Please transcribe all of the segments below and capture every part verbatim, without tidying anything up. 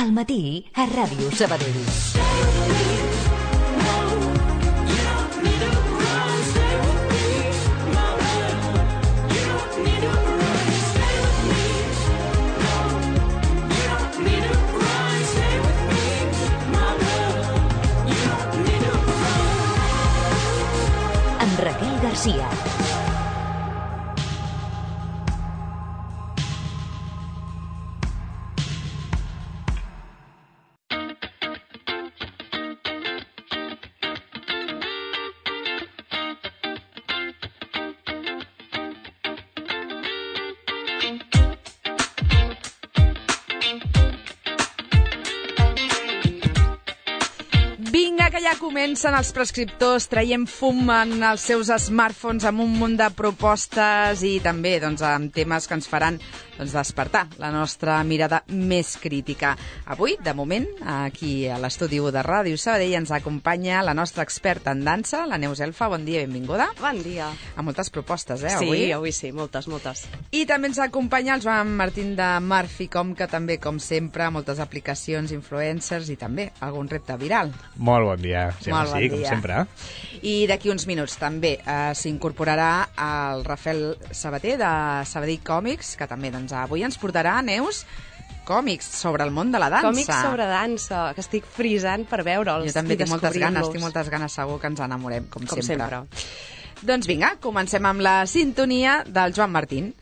Al matí, a Ràdio Sabadell. Amb Raquel Garcia. Que ja comencen els prescriptors traient fum en els seus smartphones amb un munt de propostes i també doncs, amb temes que ens faran doncs, despertar la nostra mirada més crítica. Avui, de moment, aquí a l'estudi de Ràdio Sabadell ens acompanya la nostra experta en dansa, la Neus Elfa. Bon dia, benvinguda. Bon dia. Amb moltes propostes, eh, avui? Sí, avui sí, moltes, moltes. I també ens acompanya el Joan Martín de Marficom, que també, com sempre, moltes aplicacions, influencers i també algun repte viral. Molt bon dia. Sí, Molt bon sí, dia. com sempre. I d'aquí uns minuts també eh, s'incorporarà el Rafael Sabater de Sabadell Còmics, que també doncs, avui ens portarà, Neus, còmics sobre el món de la dansa. Còmics sobre dansa, que estic frisant per veure'ls. Jo també i tinc moltes ganes, tinc descobrir-los. moltes ganes, segur que ens enamorem, com, Com sempre. sempre. Doncs vinga, comencem amb la sintonia del Joan Martín.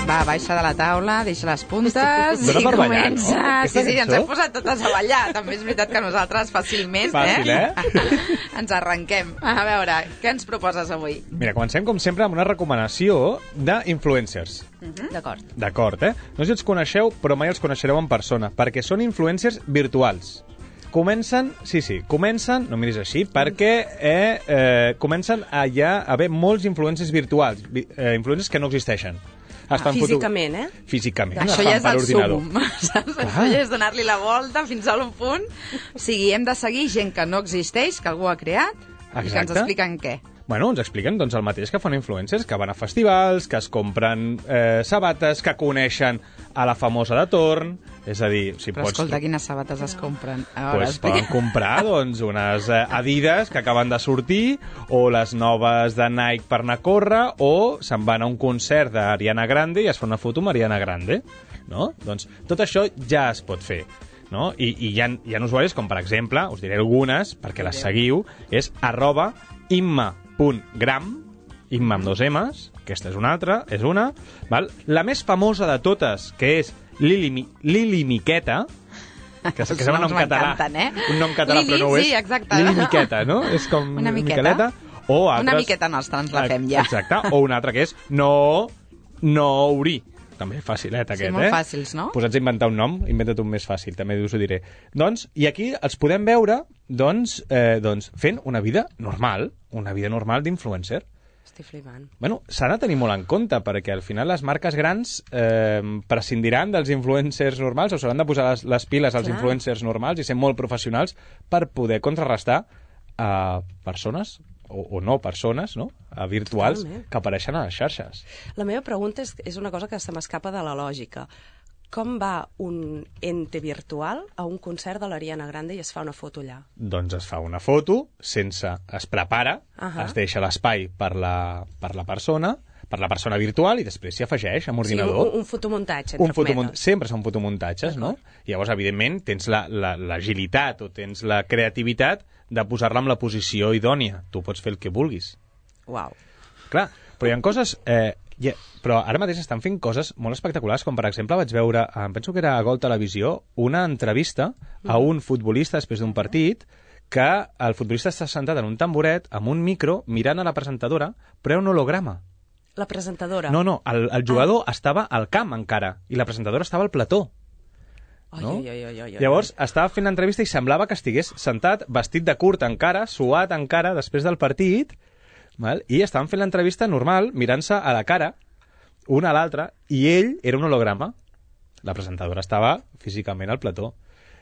Va, baixa de la taula, deixa les puntes Dóna i per ballar, comença. no? Sí, sí, ens Aquesta hem posat totes a ballar. També és veritat que nosaltres fàcilment, Fàcil, eh? eh? ens arrenquem. A veure, què ens proposes avui? Mira, comencem, com sempre, amb una recomanació d'influencers. D'acord. D'acord, eh? No sé si els coneixeu, però mai els coneixereu en persona, perquè són influencers virtuals. Comencen, sí, sí, comencen, no miris així, perquè eh, eh, comencen a ja haver molts influencers virtuals, vi- eh, influencers que no existeixen. Es fan foto- Físicament, eh? Físicament, es Això fan ja és per el ordinador. súmum, saps? Això ja és donar-li la volta fins a un punt. O sigui, hem de seguir gent que no existeix, que algú ha creat, i que ens Exacte. expliquen què. Bueno, ens expliquen doncs, el mateix que fan influencers, que van a festivals, que es compren eh, sabates, que coneixen a la famosa de torn, és a dir, si Però pots... escolta, quines sabates es compren? A veure, Pues poden comprar doncs, unes eh, Adidas que acaben de sortir, o les noves de Nike per anar a córrer, o se'n van a un concert d'Ariana Grande i es fa una foto amb Ariana Grande. No? Doncs tot això ja es pot fer. No? I, i hi, ha, hi ha usuaris com, per exemple, us diré algunes, perquè les seguiu, és arroba imma.gram, imma amb dos M's, aquesta és una altra, és una. Val? La més famosa de totes, que és Lili, Mi- Lili Miqueta, que, que sembla un nom català, m'encanten, eh? un nom català, Lili, però no ho és. sí, exacte. Lili Miqueta, no? És com Una miqueta. Miqueleta. O altres... Una miqueta nostra, ens la fem ja. Exacte, o una altra que és no, no haurí. També facilet, aquest, molt eh? fàcils, no? Posats a inventar un nom, inventa't un més fàcil, també us ho diré. Doncs, i aquí els podem veure, doncs, eh, doncs fent una vida normal, una vida normal d'influencer. Estic flipant. Bueno, s'ha de tenir molt en compte, perquè al final les marques grans eh, prescindiran dels influencers normals o s'hauran de posar les, les piles als Clar. influencers normals i ser molt professionals per poder contrarrestar a persones o, o no persones, no? A virtuals Totalment. que apareixen a les xarxes. La meva pregunta és, és una cosa que se m'escapa de la lògica. Com va un ente virtual a un concert de l'Ariana Grande i es fa una foto allà? Doncs es fa una foto, sense... es prepara, Ahà. es deixa l'espai per la, per la persona, per la persona virtual, i després s'hi afegeix amb O sigui, ordinador. un, un fotomuntatge, entre Un fotomont... cometes. Sempre són fotomuntatges, no? Llavors, evidentment, tens la- la- l'agilitat la, o tens la creativitat de posar-la en la posició idònia. Tu pots fer el que vulguis. Uau. Clar, però hi ha coses... Eh, yeah, però ara mateix estan fent coses molt espectaculars, com per exemple vaig veure, em penso que era a Gol Televisió, una entrevista a un futbolista després d'un partit, que el futbolista està sentat en un tamboret amb un micro mirant a la presentadora, però un holograma. La presentadora. No, no, el, el jugador ah. estava al camp encara, i la presentadora estava al plató. Ai, No? ai, ai, ai, ai, ai. Llavors, estava fent l'entrevista i semblava que estigués sentat, vestit de curt encara, suat encara, després del partit, val? I estaven fent l'entrevista normal, mirant-se a la cara, una a l'altra, i ell era un holograma. La presentadora estava físicament al plató.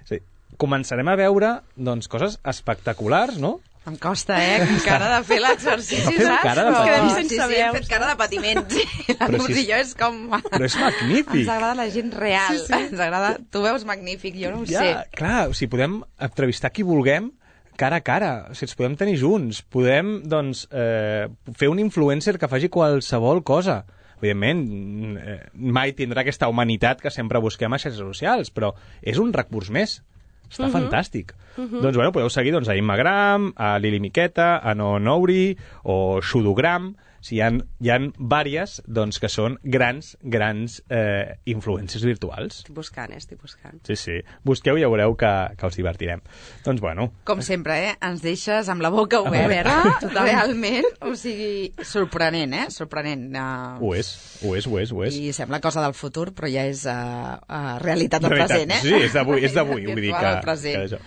Sí. Començarem a veure doncs, coses espectaculars, no? Em costa, eh? Encara de fer l'exercici, Ha fet saps? cara de Però- patiment. Sí, sí, sí, hem fet cara de patiment. Sí. La Però Nurs si és- i jo és com... Però és magnífic. Ens agrada la gent real. Sí, sí. Ens agrada... Tu veus magnífic, jo no ho Ja, sé. clar, o sigui, podem entrevistar qui vulguem cara a cara, o sigui, ens podem tenir junts, podem, doncs, eh, fer un influencer que faci qualsevol cosa. Evidentment, eh, mai tindrà aquesta humanitat que sempre busquem a xarxes socials, però és un recurs més. Està uh -huh. fantàstic. Uh -huh. Doncs, bueno, podeu seguir doncs, a Immagram, a Lili Miqueta, a No Nouri o Xudogram. O sigui, hi ha, hi ha vàries doncs, que són grans, grans eh, influències virtuals. Estic buscant, eh? Estic buscant. Sí, sí. Busqueu i ja veureu que, que us divertirem. Doncs, bueno, Com sempre, eh? Ens deixes amb la boca oberta, realment. O sigui, sorprenent, eh? Sorprenent. Uh, ho és, ho és, ho és, ho és. I sembla cosa del futur, però ja és uh, uh, realitat del Realitat, present, eh? Sí, és d'avui, és d'avui, vull dir Virtual que... al present. que això.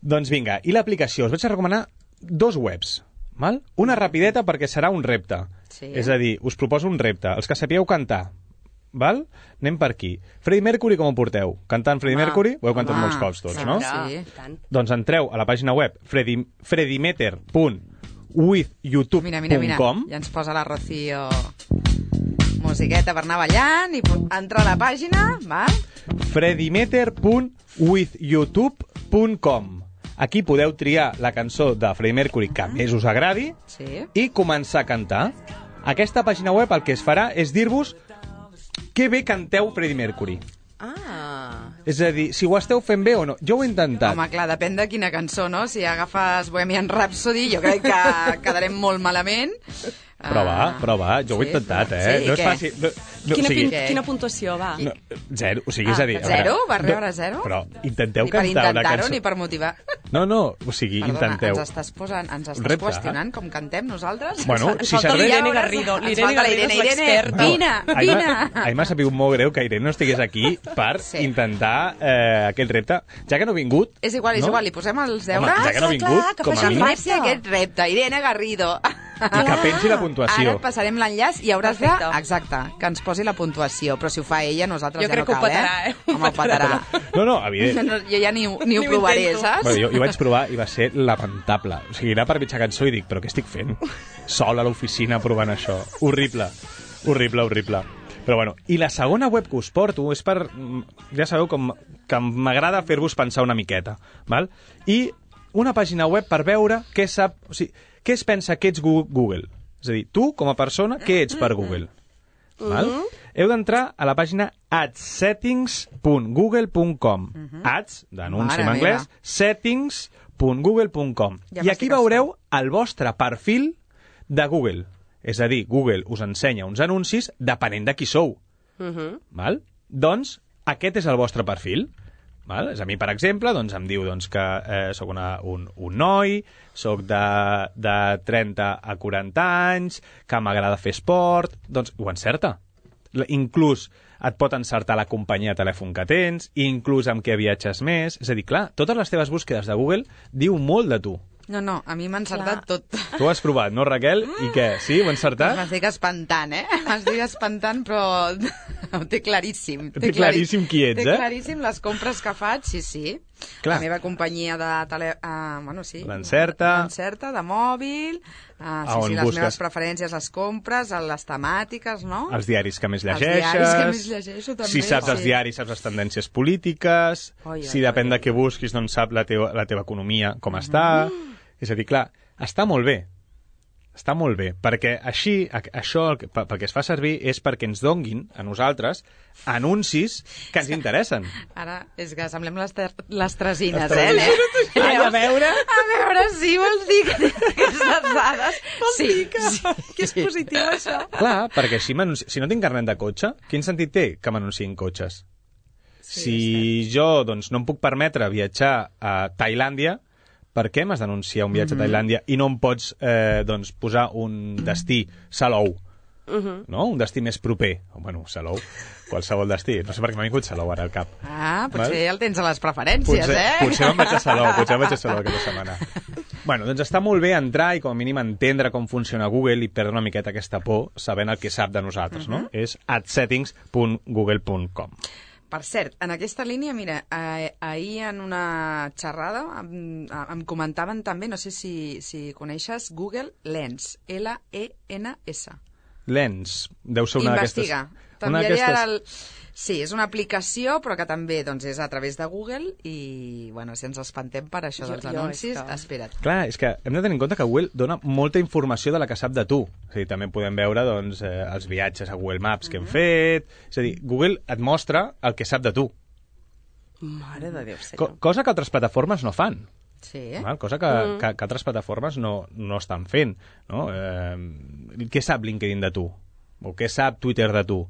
Doncs vinga, i l'aplicació? Us vaig a recomanar dos webs, val? Una rapideta perquè serà un repte. Sí. És a dir, us proposo un repte. Els que sapigueu cantar, val? Anem per aquí. Freddie Mercury, com ho porteu? Cantant Freddie Home, Mercury? Ho heu cantat home, molts cops tots, sí, no? sí. I tant. Doncs entreu a la pàgina web freddie, freddiemeter punt with youtube punt com. Mira, mira, mira. Ja ens posa la Rocío musiqueta per anar ballant i pu- entra a la pàgina, val? freddiemeter punt with youtube punt com. Aquí podeu triar la cançó de Freddie Mercury que més us agradi Sí. i començar a cantar. Aquesta pàgina web el que es farà és dir-vos que bé canteu Freddie Mercury. Ah, És a dir, si ho esteu fent bé o no. Jo ho he intentat. Home, clar, depèn de quina cançó, no? Si agafes Bohemian Rhapsody, jo crec que quedarem molt malament. Prova, Ah, prova, jo ho he sí, intentat, però- eh? sí, no és què? fàcil. No, no, quina, o sigui, pin- quina puntuació, va? no, zero, o sigui, és a dir... Ah, a veure, zero? Va no- rebre zero? Però intenteu Ni per cantar una intentar-ho cançó. ni per motivar. No, no, o sigui, Perdona, intenteu. ens estàs posant, ens estàs Repte. qüestionant com cantem nosaltres? Bueno, Ens si falta serveix... l'Irene Garrido. Ens L'Irene falta la Garrido Irene, és Irene, l'experta. vine, A mi vine. m'ha- a mi m'ha sabut molt greu que Irene no estigués aquí per Sí. intentar eh, aquest repte. Ja que no ha vingut... És igual, és no? igual, li posem els Home, deures. ja que no ha Ah, vingut, clar, que com a faci el mínim, Faci aquest repte, Irene Garrido. i que pensi la puntuació. Ara et passarem l'enllaç i hauràs de... Perfecte. Exacte, que ens posi la puntuació. Però si ho fa ella, nosaltres Jo ja crec no que ho cal, petarà, eh? eh? Home, ho petarà. No, no, evident. No, jo ja ni, ho- ni ho Ni ho provaré, intento. saps? Bueno, jo, jo vaig provar i va ser lamentable. O sigui, anar per mitja cançó i dic, però què estic fent? Sol a l'oficina provant això. Horrible, horrible, horrible. Però bueno, i la segona web que us porto és per... Ja sabeu com que m'agrada fer-vos pensar una miqueta, val? I una pàgina web per veure què sap... O sigui, què es pensa que ets Gu- Google? És a dir, tu, com a persona, què ets per Google? Val? Heu d'entrar a la pàgina adsettings punt google punt com. Ads, d'anunci en Mare anglès, meva. settings punt google punt com. Ja I aquí m'estic veureu el vostre perfil de Google. És a dir, Google us ensenya uns anuncis depenent de qui sou. Uh -huh. Val? Doncs aquest és el vostre perfil. Val? És a mi, per exemple, doncs, em diu doncs, que eh, sóc una, un, un noi, sóc de, de trenta a quaranta anys, que m'agrada fer esport... Doncs ho encerta. L- Inclús et pot encertar la companyia de telèfon que tens, inclús amb què viatges més... És a dir, clar, totes les teves búsquedes de Google diu molt de tu. No, no, a mi m'ha encertat tot. Tu ho has provat, no, Raquel? I què? Sí, ho he encertat? M'estic espantant, eh? M'estic espantant, però ho té claríssim. Té claríssim qui ets, té eh? Té claríssim les compres que faig, sí, sí. Clar. La meva companyia de tele... Uh, bueno, sí. L'Encerta. L'Encerta, de mòbil. Uh, A sí, on sí, les busques? meves preferències, les compres, les temàtiques, no? Els diaris que més Els llegeixes... diaris que més llegeixo, també, si saps sí. els diaris, saps les tendències polítiques... Oi, oi, si depèn oi. de què busquis, doncs sap la teva, la teva economia com està... És a dir, clar, està molt bé. Està molt bé, perquè així, a- això el que, pel que es fa servir és perquè ens donguin, a nosaltres, anuncis que ens interessen. Ara, és que semblem les, ter- les tresines, Les eh? tresines. Anem- Ai, a veure. A veure, sí, vols dir que tens aquestes dades? Vols sí, dir que, sí, que és positiu, això? Clar, perquè així m'anunci- si no tinc carnet de cotxe, quin sentit té que m'anunciïn cotxes? Sí, si jo doncs, no em puc permetre viatjar a Tailàndia, per què m'has d'anunciar un viatge a Tailàndia i no em pots eh, doncs, posar un destí, Salou, Uh -huh. no? Un destí més proper. O, bueno, Salou, qualsevol destí. No sé per què m'ha vingut Salou ara al cap. Ah, potser Val? el tens a les preferències, Potser, eh? potser me'n vaig a Salou, potser me'n vaig a Salou aquesta setmana. Bueno, doncs està molt bé entrar i com a mínim entendre com funciona Google i perdre una miqueta aquesta por sabent el que sap de nosaltres, no? És adsettings punt google punt com. Per cert, en aquesta línia, mira, eh, ahir en una xerrada em, em comentaven també, no sé si, si coneixes, Google Lens, L E N S. Lens, deu ser una d'aquestes... Investiga. T'enviaré ara el... Sí, és una aplicació, però que també doncs, és a través de Google i, bueno, si ens espantem per això Jo- dels jo anuncis, és que- espera't. Clar, és que hem de tenir en compte que Google dona molta informació de la que sap de tu. És a dir, també podem veure doncs, eh, els viatges a Google Maps que hem fet... És a dir, Google et mostra el que sap de tu. Mare de Déu, Co senyor. cosa que altres plataformes no fan. Sí. Val? Cosa que, mm. que, que altres plataformes no, no estan fent. No? Eh, què sap LinkedIn de tu? O què sap Twitter de tu?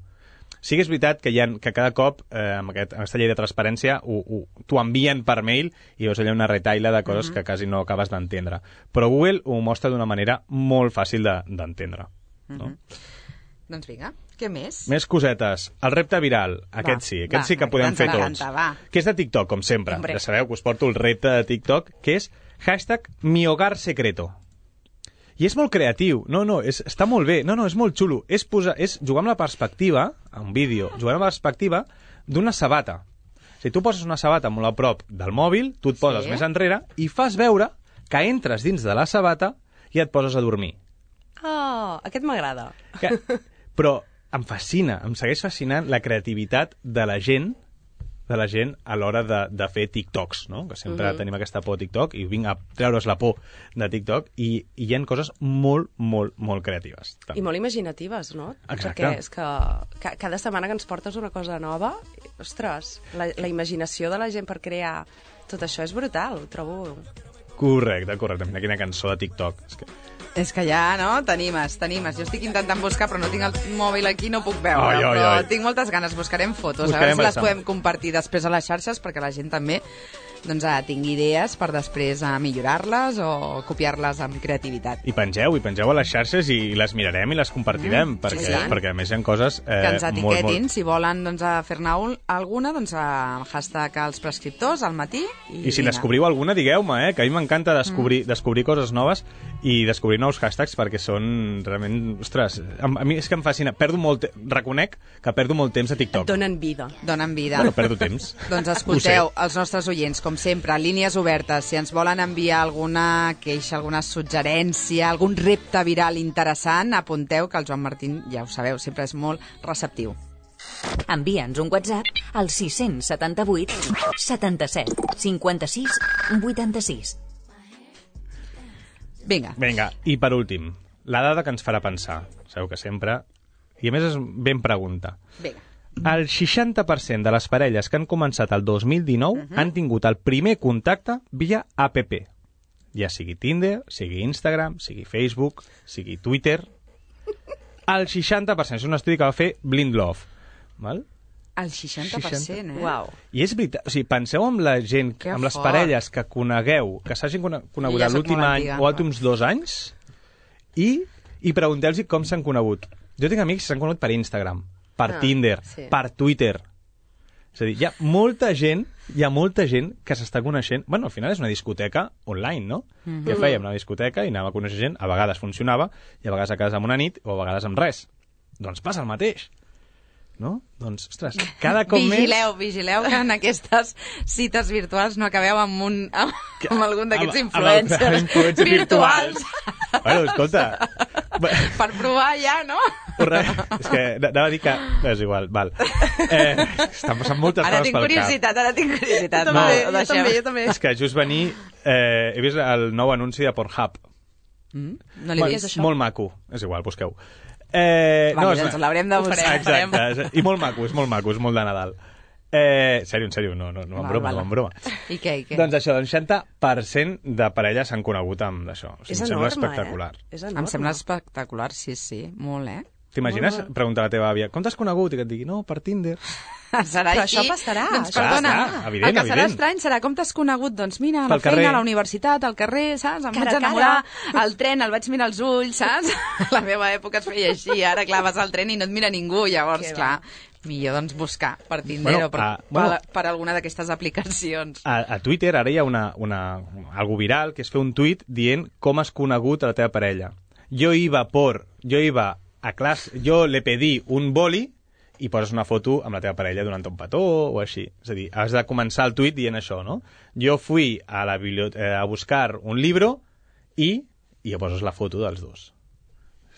Sí que és veritat que, hi ha, que cada cop, eh, amb, aquest, amb aquesta llei de transparència, t'ho envien per mail i veus allà una retaila de coses mm -hmm. que quasi no acabes d'entendre. Però Google ho mostra d'una manera molt fàcil d'entendre. De, no? Mm -hmm. Doncs vinga, què més? Més cosetes. El repte viral, aquest Va, sí, aquest va, sí que podem ens fer encanta, tots. va. Que és de TikTok, com sempre. Hombre. Ja sabeu que us porto el repte de TikTok, que és hashtag mi hogar secreto. I és molt creatiu. No, no, és, està molt bé. No, no, és molt xulo. És, posar, és jugar amb la perspectiva, a un vídeo, jugar amb la perspectiva d'una sabata. Si tu poses una sabata molt a prop del mòbil, tu et poses Sí. més enrere i fas veure que entres dins de la sabata i et poses a dormir. Oh, aquest m'agrada. Que, però em fascina, em segueix fascinant la creativitat de la gent de la gent a l'hora de, de fer TikToks, no? Que sempre uh -huh. tenim aquesta por a TikTok i vinc a treure's la por de TikTok i, i hi ha coses molt, molt, molt creatives. I molt imaginatives, no? Exacte. Perquè és que ca cada setmana que ens portes una cosa nova, ostres, la, la imaginació de la gent per crear tot això és brutal, ho trobo. Correcte, correcte. Mira quina cançó de TikTok. És que... És que ja, no? T'animes, t'animes. Jo estic intentant buscar, però no tinc el mòbil aquí, no puc veure. Ai, ai, però ai. tinc moltes ganes. Buscarem fotos, Buscarem a veure si les bastant. podem compartir després a les xarxes, perquè la gent també doncs, ah, tingui idees per després a millorar-les o copiar-les amb creativitat. I pengeu, i pengeu a les xarxes i les mirarem i les compartirem, mm, perquè, sí, sí. perquè a més hi ha coses eh, Que ens molt, etiquetin, molt... si volen doncs, a fer-ne un- alguna, doncs a hashtag als prescriptors al matí. I, I si vinga. descobriu alguna, digueu-me, eh? Que a mi m'encanta descobrir, mm. descobrir coses noves i descobrir nous hashtags perquè són realment... Ostres, a, a mi és que em fascina. Perdo molt... Te... Reconec que perdo molt temps a TikTok. Et donen vida. Donen vida. Bueno, perdo temps. Doncs escolteu, els nostres oients, com sempre, línies obertes, si ens volen enviar alguna queixa, alguna suggerència, algun repte viral interessant, apunteu que el Joan Martín, ja ho sabeu, sempre és molt receptiu. Envia'ns un WhatsApp al sis set vuit setanta-set cinquanta-sis vuitanta-sis. Vinga. Vinga, i per últim, la dada que ens farà pensar. Sabeu que sempre... I a més és ben pregunta. Vinga. El seixanta per cent de les parelles que han començat el dos mil dinou uh -huh. han tingut el primer contacte via app. Ja sigui Tinder, sigui Instagram, sigui Facebook, sigui Twitter. El seixanta per cent. És un estudi que va fer Blind Love. Val? El seixanta per cent, eh? Uau. I és veritat, o sigui, penseu amb la gent, Que amb les fort. parelles que conegueu, que s'hagin cone- conegut Jo ja soc l'últim molt any antiga. o els últims dos anys, i, i pregunteu-los com s'han conegut. Jo tinc amics que s'han conegut per Instagram, per Ah, Tinder, sí. per Twitter. És a dir, hi ha molta gent, hi ha molta gent que s'està coneixent... Bueno, al final és una discoteca online, no? Mm -hmm. Que fèiem una discoteca i anàvem a conèixer gent, a vegades funcionava, i a vegades a casa amb una nit, o a vegades amb res. Doncs passa el mateix. No? Doncs, ostres, cada cop vigileu, més... vigileu que en aquestes cites virtuals no acabeu amb, un, amb, amb algun d'aquests Amb- amb influencers, els influencers virtuals. Bueno, escolta... Per provar ja, no? Re, és que anava a dir que... És igual, val. Eh, estan passant moltes Ara coses tinc pel curiositat, ara tinc curiositat. Jo No, també, ho jo deixem. també, jo també. cap. És que just venir... Eh, he vist el nou anunci de Pornhub. Mm? No l'he Bueno, vist. això? molt maco. És igual, busqueu. Eh, Vale, és- doncs l'haurem de Ho farem. buscar. Exacte, és- i molt maco, és molt maco, és molt de Nadal. Eh, sèrio, en sèrio, no, no, no en Val, broma, val. no en broma. I què, i què? Doncs això, doncs seixanta per cent de parelles s'han conegut amb això. O sigui, És em sembla enorme, espectacular. eh? És enorme. Em sembla espectacular, sí, sí, molt, eh? T'imagines Molt bé. preguntar a la teva àvia com t'has conegut? I que et digui, no, per Tinder. Serà Però així. això passarà, Doncs, això perdona, passarà, evident, el que serà evident. estrany serà com t'has conegut. Doncs mira, a la Pel feina, carrer. a la universitat, al carrer, saps? Em Cara vaig a enamorar al tren, el vaig mirar als ulls, saps? A la meva època es feia així, ara, clar, vas al tren i no et mira ningú, llavors, Que clar, millor doncs buscar per Tinder Bueno, o per, ah, bueno. per, per alguna d'aquestes aplicacions. A, a Twitter ara hi ha una, una, algo viral, que és fer un tuit dient com has conegut a la teva parella. Jo iba por, jo iba a clase, yo le pedí un boli i poses una foto amb la teva parella donant un petó o així. És a dir, has de començar el tuit dient això, no? Jo fui a la biblioteca a buscar un libro i, i ja poses la foto dels dos.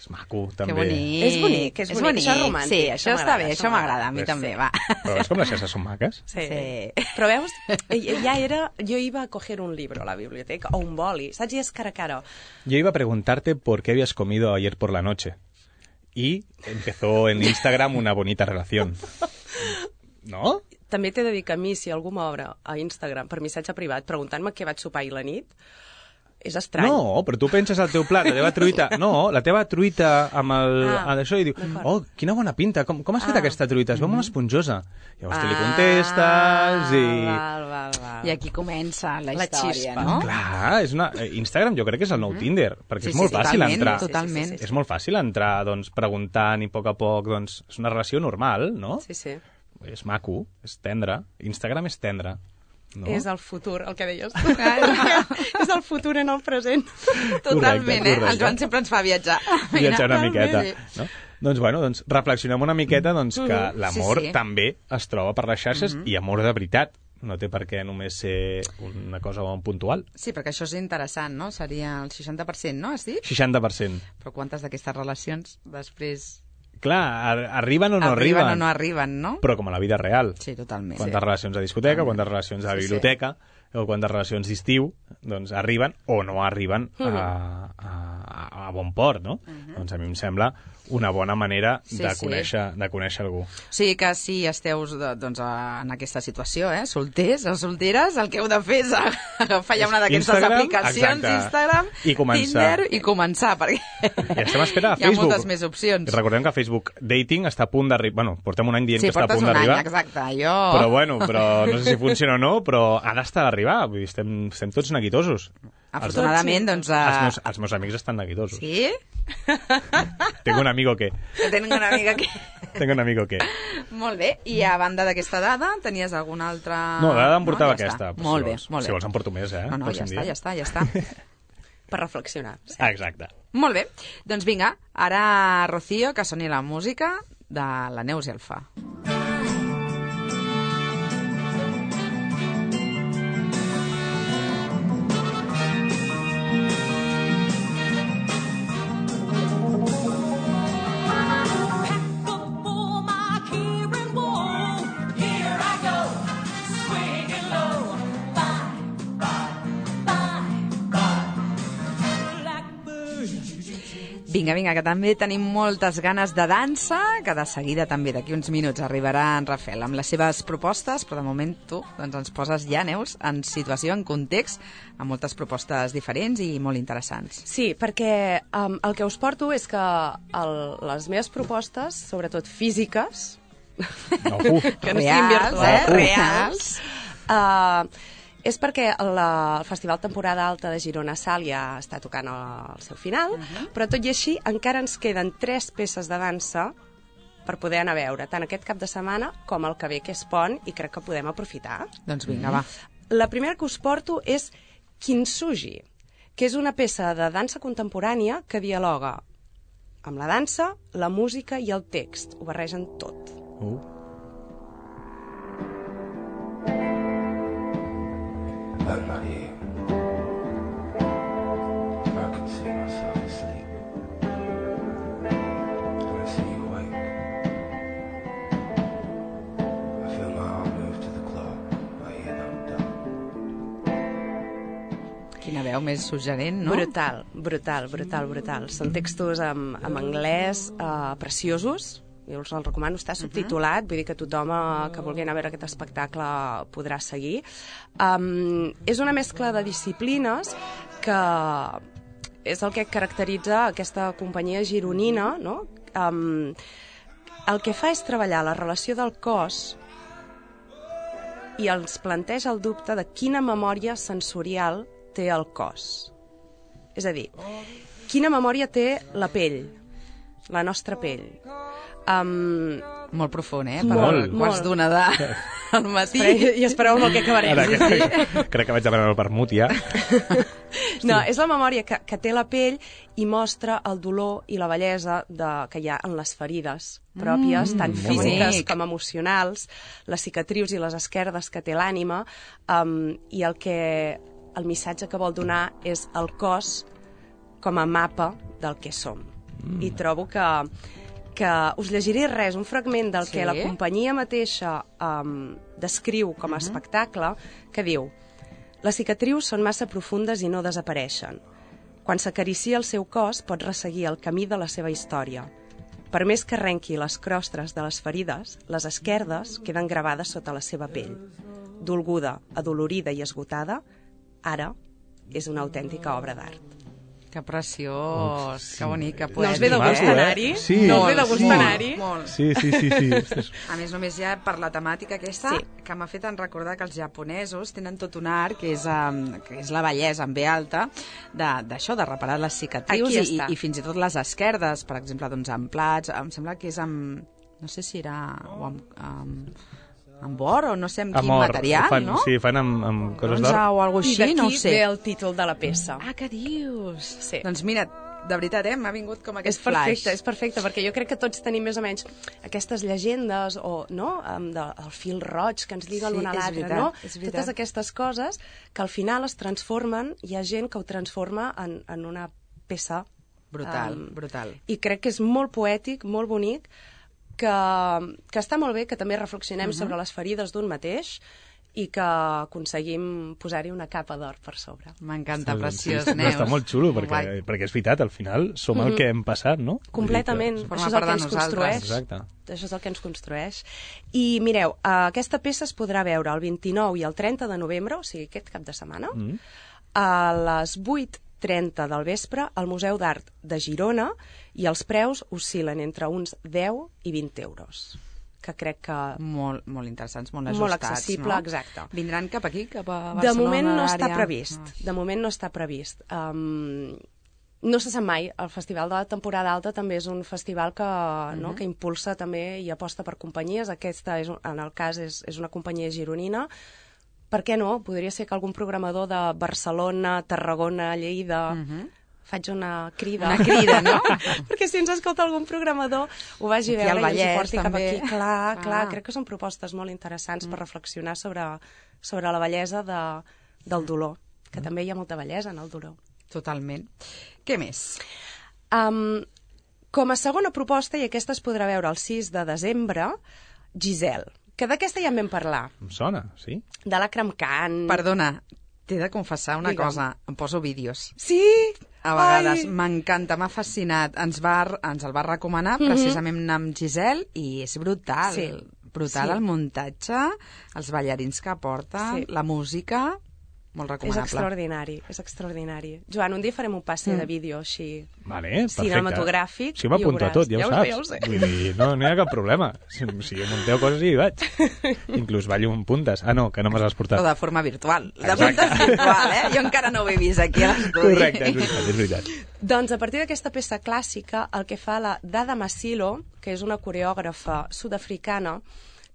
És maco, també. Que bonic. És bonic, és bonic, això és romàntic. Sí, això, Això està m'agrada, bé, això això m'agrada, a mi Ves, també, va. Però veus com les xarxes són maques? Sí. Sí. Però veus, ja era... Jo iba a coger un libro a la biblioteca, o un boli, saps? I és cara a cara. Yo iba a preguntarte por qué habías comido ayer por la noche. Y empezó en Instagram una bonita relación. ¿No? També t'he de dir que a mi, si algú m'obre a Instagram per missatge privat preguntant-me què vaig sopar ahir la nit, és estrany. No, però tu penses al teu plat, la teva truita... No, la teva truita amb el... Ah, amb això i diu, oh, quina bona pinta, com, com has fet Ah. aquesta truita? Es veu molt esponjosa. Llavors tu li Ah, contestes i... Val, val, val. I aquí comença la, La història, xispa. no? Clar, és una... eh, Instagram jo crec que és el nou Tinder, perquè Sí, és molt sí, fàcil totalment, entrar. totalment. Sí, sí, sí, És molt fàcil entrar, doncs, preguntant i a poc a poc, doncs, és una relació normal, no? Sí, sí. És maco, és tendre. Instagram és tendre. No? És el futur, el que deies tu. És el futur en el present. Totalment, Correcte, eh? correcte. El Joan sempre ens fa viatjar. Viatjar una Mira, miqueta. sí. No? Doncs, bueno, doncs, reflexionem una miqueta doncs, que l'amor Sí, sí. també es troba per les xarxes i amor de veritat. No té per què només ser una cosa puntual. Sí, perquè això és interessant, no? Seria el seixanta per cent, no, has dit? seixanta per cent. Però quantes d'aquestes relacions després Clar, ar arriben o no arriben, arriben. o no arriben, no? Però com a la vida real. Sí, totalment. Quantes Sí. relacions a discoteca, quantes relacions a Sí, sí. biblioteca, o quantes relacions d'estiu, doncs arriben o no arriben a, a, a, a bon port, no? Doncs a mi em sembla una bona manera Sí, de, sí. conèixer, de conèixer algú. O sigui que si esteu de- doncs, a- en aquesta situació, eh? solters o solteres, el que heu de fer és agafar ja una d'aquestes Instagram, aplicacions, exacte. Instagram, I començar. Tinder, i començar, perquè I estem a espera a hi ha Facebook. moltes més opcions. Recordem que Facebook Dating està a punt d'arribar... Bueno, portem un any dient Sí, que està a portes punt un any, d'arribar. exacte. Jo... Però bueno, però no sé si funciona o no, però ha d'estar a arribar. Vull dir, estem, estem tots neguitosos. Afortunadament, doncs... Els, els, Uh... meus, els meus amics estan neguitosos. Sí? Tengo un amigo que... Tenc una amiga que... Tengo un amigo que... Molt bé. I a banda d'aquesta dada, tenies alguna altra... No, la dada em portava no, ja aquesta. està. Però Molt si bé, vols, molt bé. Si vols en porto més, eh? No, no, ja Pròxim està, dia. ja està, ja està. Per reflexionar. Sí. Ah, exacte. Molt bé. Doncs vinga, ara, Rocío, que soni la música de la Neus i el Fa. Vinga, vinga, que també tenim moltes ganes de dansa, que de seguida també d'aquí uns minuts arribarà en Rafael amb les seves propostes, però de moment tu doncs, ens poses ja, Neus, en situació, en context, amb moltes propostes diferents i molt interessants. Sí, perquè um, el que us porto és que el, les meves propostes, sobretot físiques, No, uf. que no Reals, siguin virtuals, eh? reals, uh, és perquè la, el Festival Temporada Alta de Girona Sal ja està tocant al seu final, uh -huh. però tot i així encara ens queden tres peces de dansa per poder anar a veure, tant aquest cap de setmana com el que ve, que és pont, i crec que podem aprofitar. Doncs vinga, va. La primera que us porto és Kintsugi, que és una peça de dansa contemporània que dialoga amb la dansa, la música i el text. Ho barregen tot. Uh. At night, I can see myself asleep, and I see you awake. I feel my heart move to the clock, I hear them dumb. Quina veu més suggerent, no? Brutal, brutal, brutal, brutal. Són textos en, en anglès uh, preciosos. Jo us el recomano, està subtitulat, vull dir que tothom eh, que vulgui anar a veure aquest espectacle podrà seguir. Um, és una mescla de disciplines que és el que caracteritza aquesta companyia gironina, no? Um, el que fa és treballar la relació del cos i ens planteja el dubte de quina memòria sensorial té el cos. És a dir, quina memòria té la pell, la nostra pell. Um, Molt profund, eh? Per Molt. quarts Molt. d'una de... al matí. I espereu amb el que acabarem. Ara, que, crec que vaig demanar el vermut ja. No, és la memòria que, que té la pell i mostra el dolor i la bellesa de, que hi ha en les ferides pròpies, mm, tant físiques bonic. com emocionals, les cicatrius i les esquerdes que té l'ànima, um, i el que el missatge que vol donar és el cos com a mapa del que som. Mm. I trobo que, que us llegiré res, un fragment del Sí? que la companyia mateixa um, descriu com a Mhm. espectacle, que diu: les cicatrius són massa profundes i no desapareixen. Quan s'acaricia el seu cos, pot resseguir el camí de la seva història. Per més que arrenqui les crostres de les ferides, les esquerdes queden gravades sota la seva pell. Dolguda, adolorida i esgotada, ara és una autèntica obra d'art. Que preciós, Uf, que bonic, que No poètic. us ve de gust Maco, eh? anar-hi? Sí. No us ve de Molt, gust molt, anar-hi? molt. Sí, sí, sí, sí. Ostres. A més, només ja per la temàtica aquesta, Sí. que m'ha fet en recordar que els japonesos tenen tot un art, que és, um, que és la bellesa en ve alta, de- d'això, de, de reparar les cicatrius Aquí i, està. i, i fins i tot les esquerdes, per exemple, doncs amb plats, em sembla que és amb, no sé si era o amb, amb, amb or o no sé amb quin Amor. material, fan, no? Sí, fan amb, amb coses Bronze d'or. o alguna I cosa així, no ho d'aquí sé. ve el títol de la peça. Ah, què dius? Sí. Doncs mira, de veritat, eh, m'ha vingut com És aquest perfecte, flash. és perfecte, perquè jo crec que tots tenim més o menys aquestes llegendes o, no?, amb de, el fil roig que ens lliga Sí, l'un a és l'altre, veritat, no? és veritat. Totes aquestes coses que al final es transformen, hi ha gent que ho transforma en, en una peça. Brutal, em, brutal. I crec que és molt poètic, molt bonic, que, que està molt bé que també reflexionem uh -huh. sobre les ferides d'un mateix i que aconseguim posar-hi una capa d'or per sobre. M'encanta, Sí, preciós, sí, Neus. Està molt xulo, Molt perquè, guai. perquè és veritat, al final som el que hem passat, no? Completament. Vull dir Forma Això és part el que de ens nosaltres. construeix. Exacte. Això és el que ens construeix. I mireu, eh, aquesta peça es podrà veure el vint-i-nou i el trenta de novembre, o sigui, aquest cap de setmana, Mm. a les vuit trenta del vespre al Museu d'Art de Girona, i els preus oscil·len entre uns deu i vint euros, que crec que Molt, molt interessants, molt Molt ajustats, accessible, no? exacte. Vindran cap aquí, cap a Barcelona? de moment no està l'àrea? previst. Ah. De moment no està previst. Um, no se sap mai. El Festival de la Temporada Alta també és un festival que, no, que impulsa també i aposta per companyies. Aquesta, és, un- en el cas, és, és una companyia gironina. Per què no? Podria ser que algun programador de Barcelona, Tarragona, Lleida... Mhm. Faig una crida. Una crida, no? Perquè si ens escolta algun programador ho vagi a Aquí al veure i ens ho Vallès, porti cap també. aquí. Clar, clar, Ah. crec que són propostes molt interessants mm. per reflexionar sobre, sobre la bellesa de, del dolor, que mm. també hi ha molta bellesa en el dolor. Totalment. Què més? Um, com a segona proposta, i aquesta es podrà veure el sis de desembre, Giselle, que d'aquesta ja en vam parlar, Em sona, sí? de l'Akram Khan. Perdona, t'he de confessar una Digue'm. cosa. Em poso vídeos. Sí? A vegades. Ai. M'encanta, m'ha fascinat. Ens, va, ens el va recomanar Mhm. precisament anar amb Giselle i és brutal. Sí. Brutal Sí. el muntatge, els ballarins que porten, Sí. la música, molt És recomanable. extraordinari, és extraordinari. Joan, un dia farem un passe mm. de vídeo així. Vale, perfecte. Cinematogràfic, Sí, i ho m'apunto a veuràs. tot, ja, Ja ho ho saps. sé, ja ho sé. Vull dir, no, no hi ha cap problema. Si, si munteu coses i hi vaig. Inclús ballo amb puntes. Ah, no, que no me les has portat. O de forma virtual. De Exacte. puntes virtual, eh? Jo encara no ho he vist aquí a l'estudi. Correcte, és veritat, és veritat. Doncs a partir d'aquesta peça clàssica, el que fa la Dada Masilo, que és una coreògrafa sud-africana,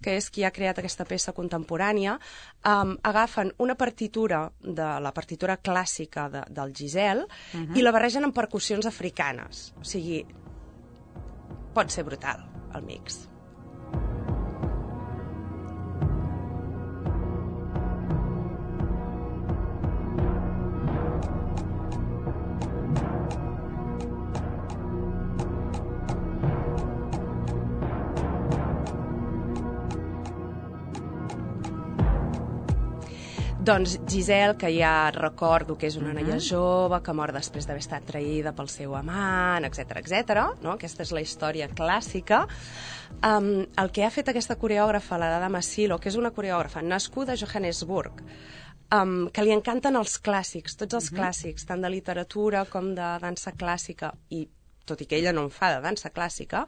que és qui ha creat aquesta peça contemporània, um, agafen una partitura, de la partitura clàssica de, del Giselle, uh -huh. i la barregen amb percussions africanes. O sigui, pot ser brutal, el mix. Doncs Giselle, que ja recordo que és una noia jove, que mor després d'haver estat traïda pel seu amant, etc etcètera. No? Aquesta és la història clàssica. Um, el que ha fet aquesta coreògrafa, la Dada Masilo, que és una coreògrafa nascuda a Johannesburg, um, que li encanten els clàssics, tots els clàssics, tant de literatura com de dansa clàssica, i tot i que ella no en fa de dansa clàssica,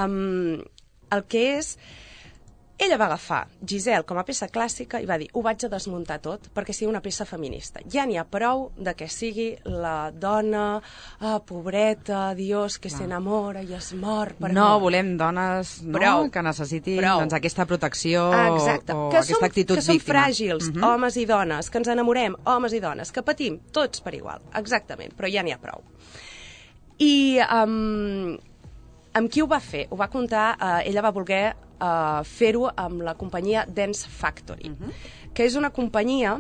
um, el que és Ella va agafar Giselle com a peça clàssica i va dir, ho vaig a desmuntar tot perquè sigui una peça feminista. Ja n'hi ha prou de que sigui la dona, ah, pobreta, Dios, que s'enamora i es mor per No amor. volem dones no, Prou. que necessitin Prou. doncs, aquesta protecció Exacte. o que aquesta som, actitud que som víctima. fràgils, Mhm. homes i dones, que ens enamorem, homes i dones, que patim, tots per igual. Exactament, però ja n'hi ha prou. I um, amb qui ho va fer? Ho va contar, uh, ella va voler uh, fer-ho amb la companyia Dance Factory, uh-huh. que és una companyia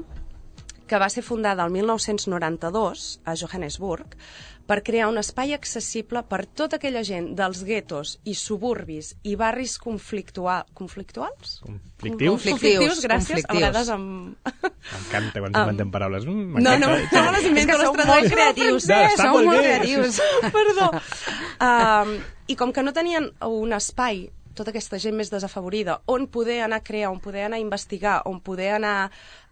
que va ser fundada el mil nou-cents noranta-dos a Johannesburg per crear un espai accessible per tota aquella gent dels guetos i suburbis i barris conflictua... conflictuals? Conflictius? Conflictius, gràcies. Conflictius. A vegades amb... M'encanta quan s'inventem paraules. Mm, No, no, m'encanta. no les invento, És que les sou tradueixo molt creatius, al francès. Està sou molt molt bé. creatius. Perdó. Um, I com que no tenien un espai, tota aquesta gent més desafavorida, on poder anar a crear, on poder anar a investigar, on poder anar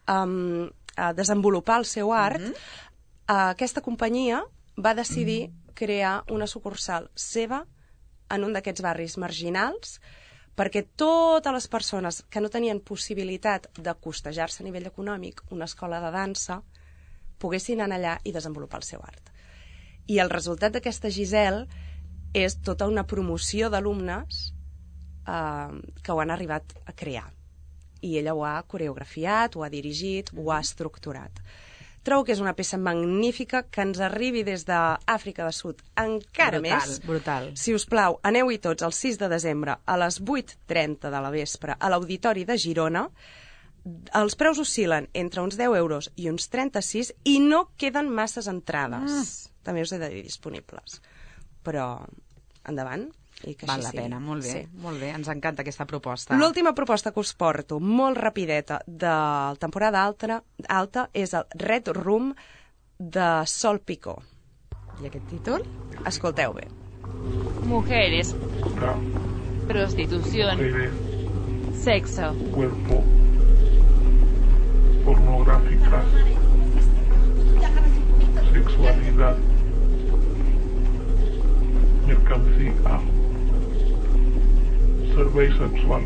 um, a desenvolupar el seu art, mm -hmm. uh, aquesta companyia va decidir crear una sucursal seva en un d'aquests barris marginals perquè totes les persones que no tenien possibilitat de costejar-se a nivell econòmic una escola de dansa poguessin anar allà i desenvolupar el seu art. I el resultat d'aquesta Giselle és tota una promoció d'alumnes eh, que ho han arribat a crear. I ella ho ha coreografiat, ho ha dirigit, ho ha estructurat. Trobo que és una peça magnífica que ens arribi des d'Àfrica de Sud encara Brutal, més. brutal. Si us plau, aneu-hi tots el sis de desembre a les vuit trenta de la vespre a l'Auditori de Girona. Els preus oscil·len entre uns deu euros i uns trenta-sis i no queden masses entrades. Mm. També us he de dir disponibles. Però, endavant. I que Val així la sigui. pena, molt bé, Sí. molt bé. Ens encanta aquesta proposta. L'última proposta que us porto, molt rapideta, de la temporada alta, alta és el Red Room de Sol Picó. I aquest títol? Escolteu bé. Mujeres, Ra, prostitución, mujeres, sexo, cuerpo, pornográficas, sexualidad, mercancía, servei sexual,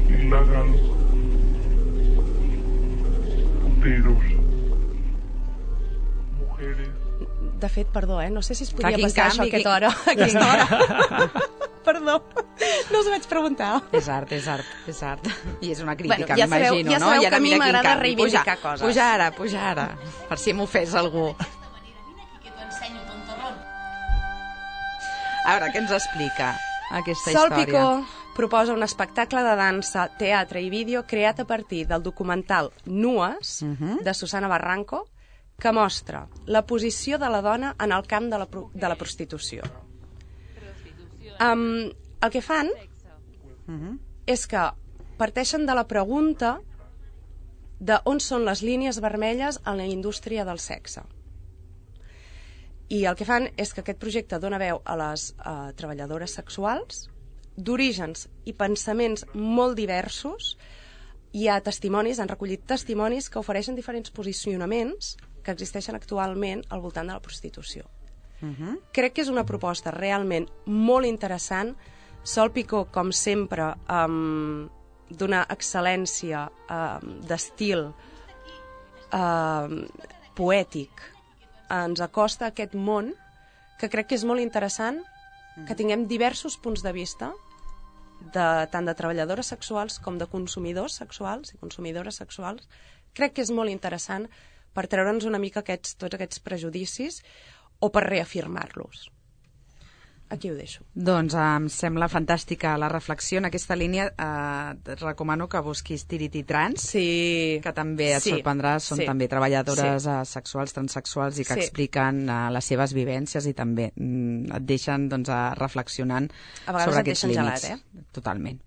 il·legal, puteros, mujeres. De fet, perdó, eh? No sé si es podia quin passar això a canvi, aquesta hora. A aquesta hora. Perdó, no us vaig preguntar. És art, és art, és art. I és una crítica, Bueno, ja sabeu- m'imagino, ja no? sabeu I ara que a mi mira quin m'agrada canvi. reivindicar puja, coses. Puja ara, puja ara, per si m'ofès algú. A veure, què ens explica aquesta Sol història? Picó proposa un espectacle de dansa, teatre i vídeo creat a partir del documental Nues, uh -huh. de Susana Barranco, que mostra la posició de la dona en el camp de la, pro de la prostitució. Um, el que fan Uh -huh. és que parteixen de la pregunta de on són les línies vermelles en la indústria del sexe. I el que fan és que aquest projecte dona veu a les uh, treballadores sexuals d'orígens i pensaments molt diversos. Hi ha testimonis, han recollit testimonis que ofereixen diferents posicionaments que existeixen actualment al voltant de la prostitució. Uh -huh. Crec que és una proposta realment molt interessant. Sol Picó, com sempre, um, d'una excel·lència um, d'estil um, poètic, ens acosta a aquest món que crec que és molt interessant, que tinguem diversos punts de vista, de, tant de treballadores sexuals com de consumidors sexuals i consumidores sexuals. Crec que és molt interessant per treure'ns una mica aquests, tots aquests prejudicis o per reafirmar-los. Aquí ho deixo. Doncs em sembla fantàstica la reflexió en aquesta línia. Eh, et recomano que busquis Tiriti Trans, Sí. que també et Sí. sorprendrà, són Sí. també treballadores Sí. eh, sexuals, transsexuals i que Sí. expliquen eh, les seves vivències i també mm, et deixen doncs, a reflexionant A vegades sobre et aquests deixen límits. gelat, Totalment.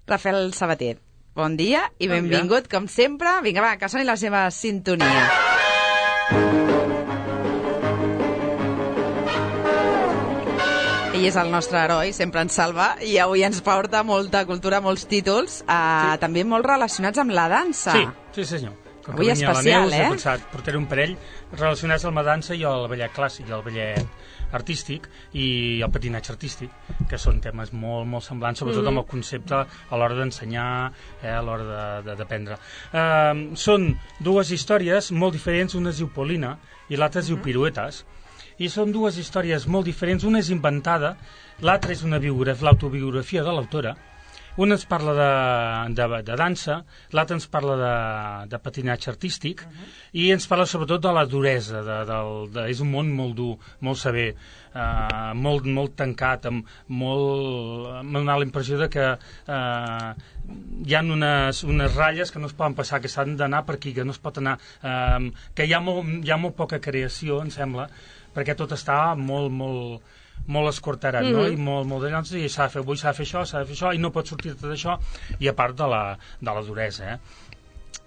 Rafael Sabater, bon dia i Bon benvingut, com sempre. Vinga, va, que soni la seva sintonia. Ell és el nostre heroi, sempre ens salva, i avui ens porta molta cultura, molts títols, eh, sí. també molt relacionats amb la dansa. Sí, sí, senyor. Avui especial, Neus, eh? he pensat, portaré un parell relacionats amb la dansa i el ballet clàssic i el ballet artístic i el patinatge artístic, que són temes molt, molt semblants, sobretot amb el concepte a l'hora d'ensenyar, eh, a l'hora d'aprendre. Eh, són dues històries molt diferents, una es diu Polina i l'altra es diu Piruetes, i són dues històries molt diferents, una és inventada, l'altra és una biografia, l'autobiografia de l'autora. Una ens parla de, de, de dansa, l'altra ens parla de, de patinatge artístic, uh-huh. i ens parla sobretot de la duresa, de, de, de, és un món molt dur, molt sever, uh, molt, molt tancat, amb molt... m'ha donat la impressió de que uh, hi ha unes, unes ratlles que no es poden passar, que s'han d'anar per aquí, que no es pot anar... Uh, que hi ha, molt, hi ha molt poca creació, em sembla, perquè tot està molt, molt... molt escortarat, mm-hmm. no? I molt, molt d'allò, i s'ha de fer avui, s'ha de fer això, s'ha de fer això, i no pot sortir tot això, i a part de la, de la duresa, eh?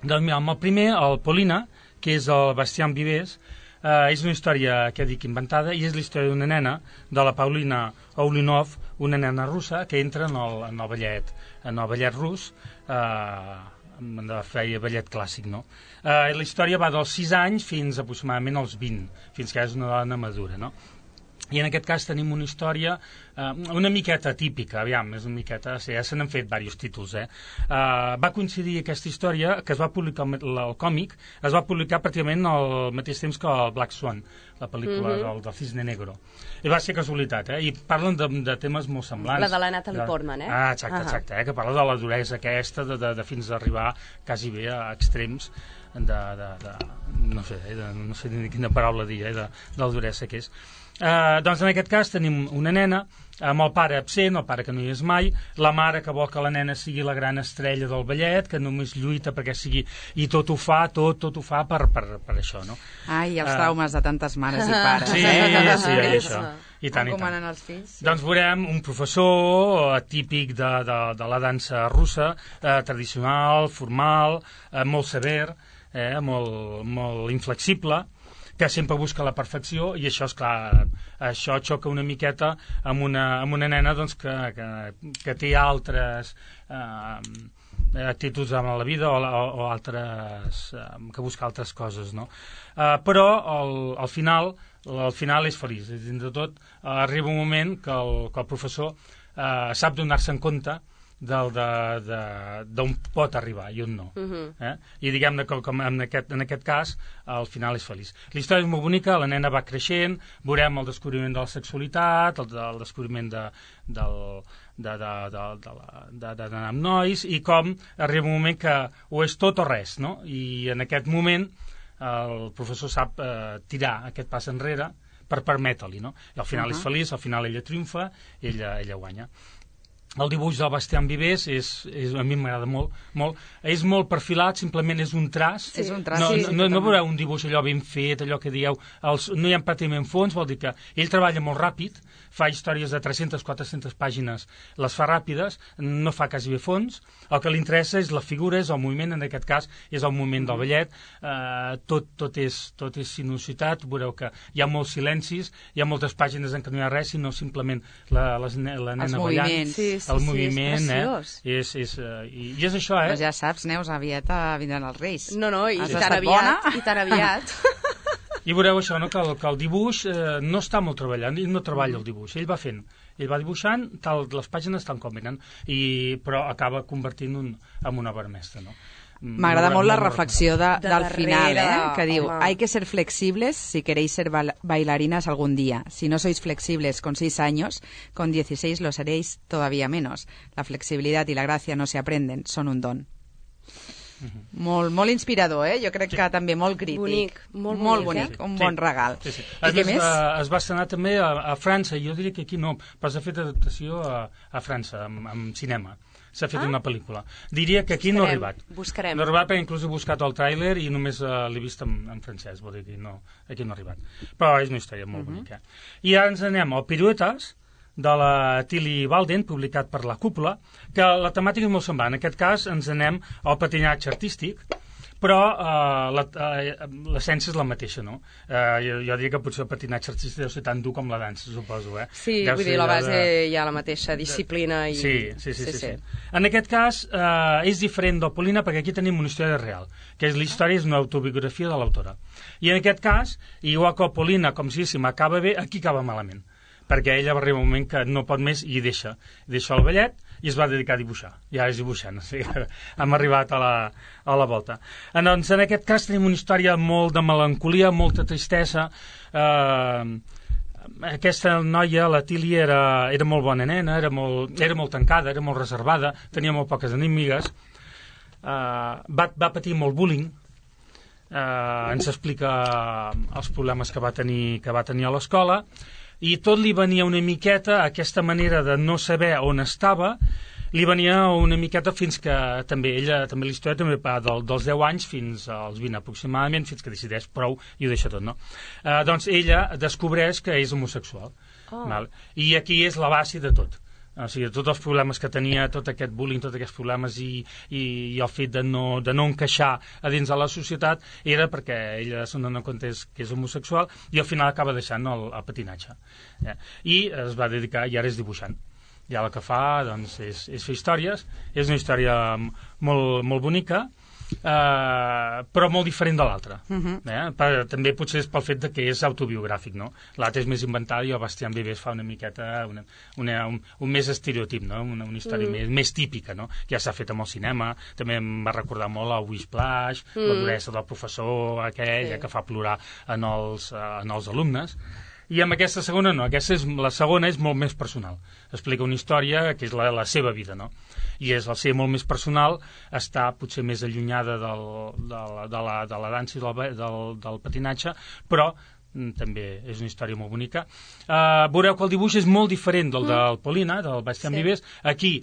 Doncs mira, amb el primer, el Polina, que és el Bastián Vives, eh, és una història, que dic, inventada, i és la història d'una nena, de la Paulina Oulinov, una nena russa, que entra en el, en el ballet, en el ballet rus, eh, de feia ballet clàssic, no? Eh, la història va dels sis anys fins aproximadament als vint, fins que és una dona madura, no? I en aquest cas tenim una història eh, una miqueta típica, aviam, és una miqueta, sí, ja se n'han fet diversos títols, eh? Uh, va coincidir aquesta història, que es va publicar el, el còmic, es va publicar pràcticament al mateix temps que el Black Swan, la pel·lícula mm-hmm. del, del Cisne Negro. I va ser casualitat, eh? I parlen de, de temes molt semblants. La de la Natalie de... Portman, eh? Ah, exacte, uh-huh. exacte, eh? Que parla de la duresa aquesta, de, de, de fins a arribar quasi bé a extrems de, de, de no sé, eh? de, no sé ni quina paraula dir, eh? de, de la duresa que és. Uh, doncs en aquest cas tenim una nena amb el pare absent, el pare que no hi és mai, la mare que vol que la nena sigui la gran estrella del ballet, que només lluita perquè sigui, i tot ho fa, tot, tot ho fa per, per, per això, no? Ai, els traumes uh, de tantes mares i pares. Sí, eh? sí, sí, això. I tant, i tant. Els fills, sí. Doncs veurem un professor típic de, de, de la dansa russa, eh, tradicional, formal, eh, molt sever, eh, molt, molt inflexible, que sempre busca la perfecció, i això, és clar, això xoca una miqueta amb una, amb una nena doncs, que, que, que té altres eh, actituds en la vida o, o, o altres, eh, que busca altres coses, no? Eh, però al, al final al final és feliç, és dins de tot eh, arriba un moment que el, que el professor eh, sap donar-se en compte d'on pot arribar i on no. Uh-huh. eh? I diguem-ne que com en, aquest, en aquest cas al final és feliç. La història és molt bonica, la nena va creixent, veurem el descobriment de la sexualitat, el, el descobriment de, del, de, de, de, de, de, d'anar amb nois, i com arriba un moment que o és tot o res, no? I en aquest moment el professor sap eh, tirar aquest pas enrere per permetre-li, no? I al final uh-huh. és feliç, al final ella triomfa, ella, ella guanya. El dibuix del Bastián Vives és, és, a mi m'agrada molt, molt. És molt perfilat, simplement és un traç. Sí. És un traç, no, sí. No, no, no veureu un dibuix allò ben fet, allò que dieu, els, no hi ha pràcticament fons, vol dir que ell treballa molt ràpid, fa històries de tres-centes a quatre-centes pàgines, les fa ràpides, no fa quasi bé fons, el que li interessa és la figura, és el moviment, en aquest cas és el moviment del ballet, eh, tot, tot, és, tot és sinuositat, veureu que hi ha molts silencis, hi ha moltes pàgines en què no hi ha res, sinó simplement la, les, la nena ballant, sí, sí, el moviment, sí, eh? És, és, uh, i, i és això, eh? Però ja saps, Neus, aviat vindran els Reis. No, no, i Has tan estat aviat, bona? i tan aviat. I veureu això, no? que, el, que el dibuix eh, no està molt treballant, ell no treballa el dibuix, ell va fent, ell va dibuixant, tal, les pàgines tant com venen, i, però acaba convertint un, en una obra mestra, no? M'agrada molt la reflexió de, de del darrere, final, eh? que diu, home. hay que ser flexibles si queréis ser bailarinas algún día. Si no sois flexibles con seis años, con dieciséis lo seréis todavía menos. La flexibilidad y la gracia no se aprenden, son un don. Uh-huh. Molt, molt inspirador, eh? Jo crec sí. que també molt crític. Bonic, molt, molt bonic, bonic, un sí. bon regal. Sí, sí. I què més? Va, es va estrenar també a, a França, jo diria que aquí no, però s'ha fet adaptació a, a França, amb, amb cinema. S'ha fet ah? una pel·lícula. Diria que aquí buscarem, no ha arribat. Buscarem. No ha arribat perquè inclús he buscat el tràiler i només uh, l'he vist en, en francès, vol dir que no, aquí no ha arribat. Però és una història molt uh-huh. bonica. I ara ens anem al Piruetes, de la Tilly Walden, publicat per La Cúpula, que la temàtica és molt semblant. En aquest cas ens anem al patinatge artístic, però uh, la, uh, l'essència és la mateixa, no? Uh, jo, jo diria que potser el patinatge artístic deu ser tan dur com la dansa, suposo, eh? Sí, deu vull dir, la base de... hi ha la mateixa disciplina. I... Sí, sí, sí, sí, sí, sí. En aquest cas, uh, és diferent del Polina perquè aquí tenim una història real, que és la història és una autobiografia de l'autora. I en aquest cas, igual que el Polina, com si diguéssim, acaba bé, aquí acaba malament, perquè ella va arribar un moment que no pot més i deixa, deixa el ballet i es va dedicar a dibuixar, ja és dibuixant, o sigui, hem arribat a la, a la volta. Doncs en aquest cas tenim una història molt de melancolia, molta tristesa. Eh, aquesta noia, la Tilly, era, era molt bona nena, era molt, era molt tancada, era molt reservada, tenia molt poques enemigues, eh, va, va patir molt bullying, eh, ens explica els problemes que va tenir, que va tenir a l'escola, i tot li venia una miqueta, aquesta manera de no saber on estava, li venia una miqueta fins que també ella, també la història també va del, dels deu anys fins als vint aproximadament, fins que decideix prou i ho deixa tot, no? Eh, doncs ella descobreix que és homosexual. Oh. Val? I aquí és la base de tot. O sigui, tots els problemes que tenia, tot aquest bullying, tots aquests problemes i, i, i el fet de no, de no encaixar a dins de la societat era perquè ella se n'adona compte que és homosexual i al final acaba deixant el, el patinatge. Ja. I es va dedicar, i ara és dibuixant. I ara el que fa doncs, és, és fer històries. És una història molt, molt bonica, Uh, però molt diferent de l'altra. Uh-huh. eh? per, també potser és pel fet de que és autobiogràfic, no? L'altre és més inventat i el Bastián Vives fa una miqueta una, una, un, un més estereotip, no? una, una història uh-huh. més, més típica, no? Ja s'ha fet amb el cinema, també em va recordar molt el Wishplash, uh-huh. la duresa del professor aquell, sí. que fa plorar en els, en els alumnes. I amb aquesta segona no, aquesta és, la segona és molt més personal, explica una història que és la, la seva vida, no? I és el ser molt més personal, està potser més allunyada del, de, la, de, la, de la dansa i del, del, del patinatge, però mm, també és una història molt bonica. Uh, veureu que el dibuix és molt diferent del mm. del Polina, del Bastián sí. Vives. Aquí,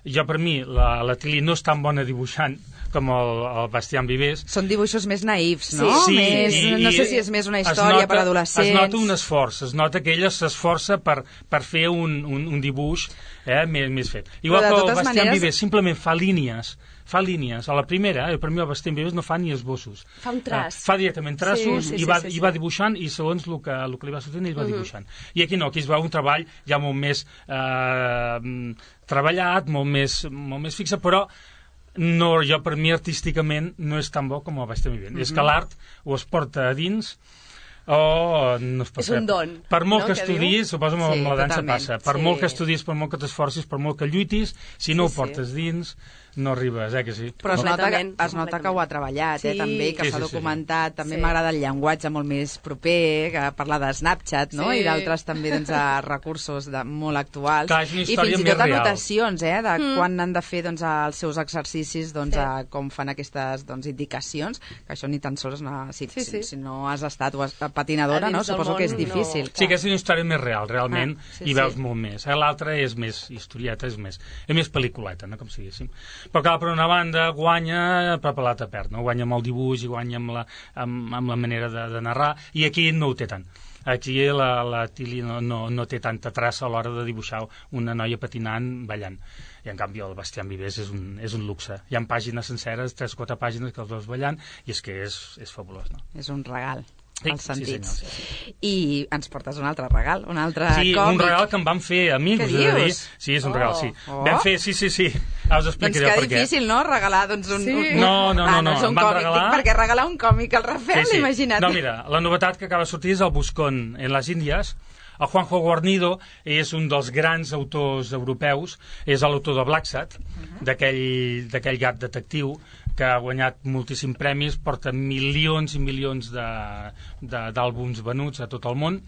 jo per mi, la, la Tilly no és tan bona dibuixant com el, el Bastián Vives. Són dibuixos més naïfs, no? Sí, més, i, no sé si és més una història nota, per adolescents. Es nota un esforç, es nota que ella s'esforça per, per fer un, un, un dibuix eh, més, més fet. Igual que el Bastián maneres... Vives simplement fa línies, fa línies. A la primera, eh, per mi el Bastián Vives no fa ni esbossos. Fa un traç. Uh, fa directament traços sí, sí, i, va, sí, sí, i va dibuixant i segons el que, el que li va sortint ell va uh-huh. dibuixant. I aquí no, aquí es veu un treball ja molt més eh, treballat, molt més, molt més fixe, però no, jo per mi artísticament no és tan bo com el Bastián Vives. Mm-hmm. És que l'art o es porta a dins o no es pot és un don. Per molt no, que estudis, suposo que sí, amb la dansa totalment. passa, per sí. molt que estudis, per molt que t'esforcis, per molt que lluitis, si no sí, ho portes sí. dins, no arribes, eh, que sí? Però es nota que, es nota que ho ha treballat, eh, sí. també, que Sí, s'ha sí, sí, documentat. sí. També Sí. m'agrada el llenguatge molt més proper, que parla de Snapchat, no? Sí. I d'altres també doncs, de recursos de, molt actuals. Clar, és una I història fins i més tot real. anotacions, eh, de Mm. quan han de fer doncs, els seus exercicis, doncs, Sí. a com fan aquestes doncs, indicacions, que això ni tan sols no, si, Sí, sí. si, si no has estat o has, patinadora, A no? dins del Suposo que és món, difícil. no. Sí, que és una història més real, realment, Ah, sí, i veus sí. molt més. Eh? L'altra és més historieta, és més, és més pel·lículeta, no? Com si diguéssim. Però clar, per una banda, guanya, però per l'altra perd, no? Guanya amb el dibuix i guanya amb la, amb, amb la manera de, de narrar, i aquí no ho té tant. Aquí la, la Tilly no, no, no té tanta traça a l'hora de dibuixar una noia patinant, ballant. I en canvi el Bastián Vives és un, és un luxe. Hi ha pàgines senceres, tres o quatre pàgines que els veus ballant, i és que és, és fabulós, no? És un regal. Sí, als sentits. sí, senyor, sí, sí. I ens portes un altre regal, un altre Sí, còmic. un regal que em van fer a mi, Què us he de dir. dius? Sí, és un Oh, regal, sí. oh. Vam fer, sí, sí, sí. Ara us Doncs explicaré que el per què. difícil, no?, regalar doncs, un, Sí. un... No, no, ah, no, no, és un em van còmic, regalar- dic, perquè regalar un còmic al Rafael, imagina't. No, mira, la novetat que acaba de sortir és el Buscón en les Índies. El Juanjo Guarnido és un dels grans autors europeus, és l'autor de Blacksat, uh-huh. d'aquell d'aquell gat detectiu que ha guanyat moltíssims premis, porta milions i milions de- de- d'àlbums venuts a tot el món,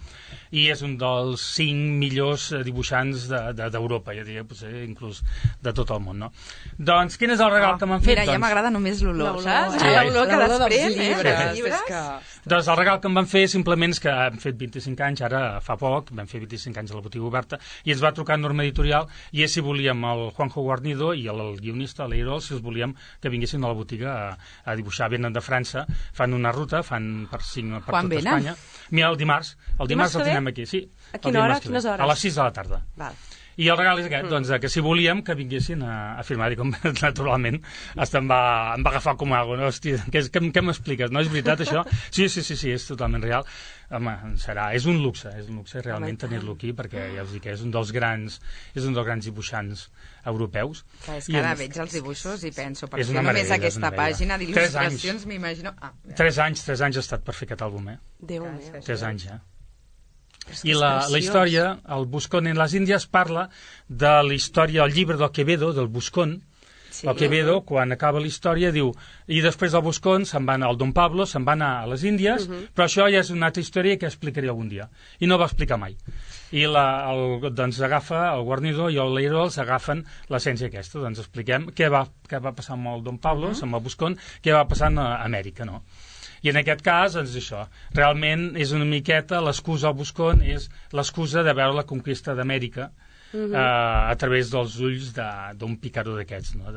i és un dels cinc millors dibuixants d'Europa, de, de, jo diria, potser inclús de tot el món, no? Doncs quin és el regal Oh, que m'han fet? mira, ja doncs, m'agrada només l'olor, L'olor, saps? Sí. L'olor que L'olor dels després, eh? llibres, dels llibres. és que... Doncs el regal que em van fer simplement és que hem fet vint-i-cinc anys, ara fa poc, vam fer vint-i-cinc anys a la botiga oberta, i ens va trucar Norma Editorial, i és si volíem el Juanjo Guarnido i el, el guionista, l'Eirol, si els volíem que vinguessin a la botiga a, a dibuixar. Venen de França, fan una ruta, fan per cinc per Quan tota venen? Espanya. Mira, el dimarts, el dimarts, Dimarts el que ve? tenim aquí, sí. A quina hora? A quines hores? A les sis de la tarda. Val. I el regal és aquest, mm. doncs, que si volíem que vinguessin a, a firmar, i com naturalment hasta em va, em va agafar com algo, no? Hòstia, què, què, què m'expliques? No és veritat això? Sí, sí, sí, sí, és totalment real. Home, serà, és un luxe, és un luxe realment tenir-lo aquí, perquè ja us dic que és un dels grans, és un dels grans dibuixants europeus. Que és que ara veig els dibuixos i penso, per és fer una només meravella, aquesta pàgina d'il·lustracions, m'imagino... Ah, tres anys, tres anys ha estat per fer aquest àlbum, eh? Déu meu. Tres anys, ja. I la, la història, el Buscón en les Índies, parla de la història, el llibre del Quevedo, del Buscón. Sí. El Quevedo, quan acaba la història, diu, i després del Buscón se'n va anar, el Don Pablo se'n va anar a les Índies, uh -huh. però això ja és una altra història que explicaré algun dia. I no va explicar mai. I la, el, doncs agafa, el Guarnido i el Leiro els agafen l'essència aquesta. Doncs expliquem què va, què va passar amb el Don Pablo, uh -huh. amb el Buscón, què va passar a Amèrica, no? I en aquest cas, doncs això, realment és una miqueta, l'excusa al Buscón és l'excusa de veure la conquista d'Amèrica uh -huh. eh, a través dels ulls d'un picaró d'aquests, no?